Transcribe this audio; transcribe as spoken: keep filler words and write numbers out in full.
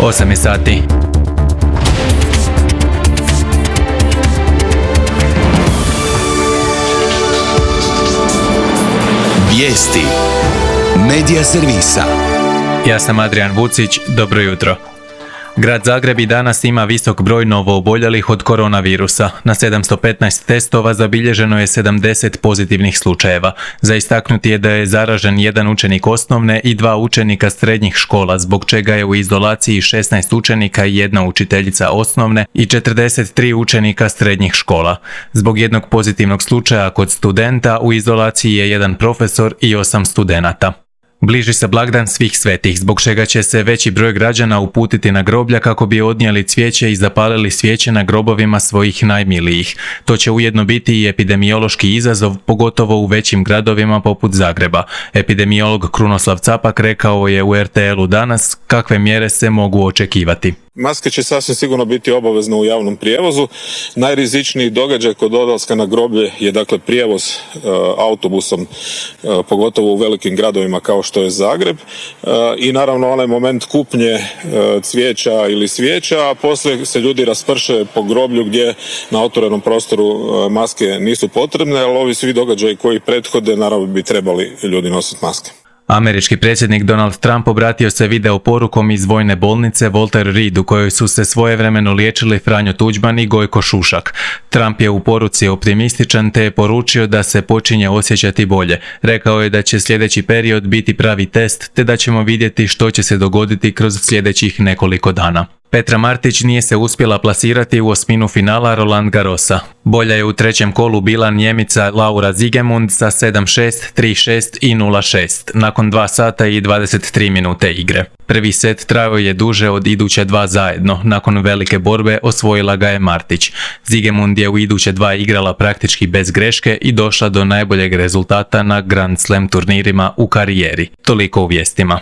osam je sati. Vijesti Medija servisa. Ja sam Adrian Vucić, dobro jutro. Grad Zagreb i danas ima visok broj novooboljelih od koronavirusa. Na sedamsto petnaest testova zabilježeno je sedamdeset pozitivnih slučajeva. Za istaknuti je da je zaražen jedan učenik osnovne i dva učenika srednjih škola, zbog čega je u izolaciji šesnaest učenika i jedna učiteljica osnovne i četrdeset tri učenika srednjih škola. Zbog jednog pozitivnog slučaja kod studenta u izolaciji je jedan profesor i osam studenata. Bliži se blagdan svih svetih, zbog čega će se veći broj građana uputiti na groblja kako bi odnijeli cvijeće i zapalili svijeće na grobovima svojih najmilijih. To će ujedno biti i epidemiološki izazov, pogotovo u većim gradovima poput Zagreba. Epidemiolog Krunoslav Capak rekao je u er te el-u danas kakve mjere se mogu očekivati. Maske će sasvim sigurno biti obavezne u javnom prijevozu. Najrizičniji događaj kod odlaska na groblje je dakle prijevoz e, autobusom, e, pogotovo u velikim gradovima kao što je Zagreb. E, I naravno onaj moment kupnje e, cvijeća ili svijeća, a poslije se ljudi rasprše po groblju gdje na otvorenom prostoru e, maske nisu potrebne, ali ovi svi događaji koji prethode naravno bi trebali ljudi nositi maske. Američki predsjednik Donald Trump obratio se video porukom iz vojne bolnice Walter Reed u kojoj su se svojevremeno liječili Franjo Tuđman i Gojko Šušak. Trump je u poruci optimističan te je poručio da se počinje osjećati bolje. Rekao je da će sljedeći period biti pravi test te da ćemo vidjeti što će se dogoditi kroz sljedećih nekoliko dana. Petra Martić nije se uspjela plasirati u osminu finala Roland Garrosa. Bolja je u trećem kolu bila Njemica Laura Siegemund sa sedam šest, tri šest i nula šest, nakon dva sata i dvadeset tri minute igre. Prvi set trajao je duže od iduće dva zajedno, nakon velike borbe osvojila ga je Martić. Siegemund je u iduće dva igrala praktički bez greške i došla do najboljeg rezultata na Grand Slam turnirima u karijeri. Toliko u vijestima.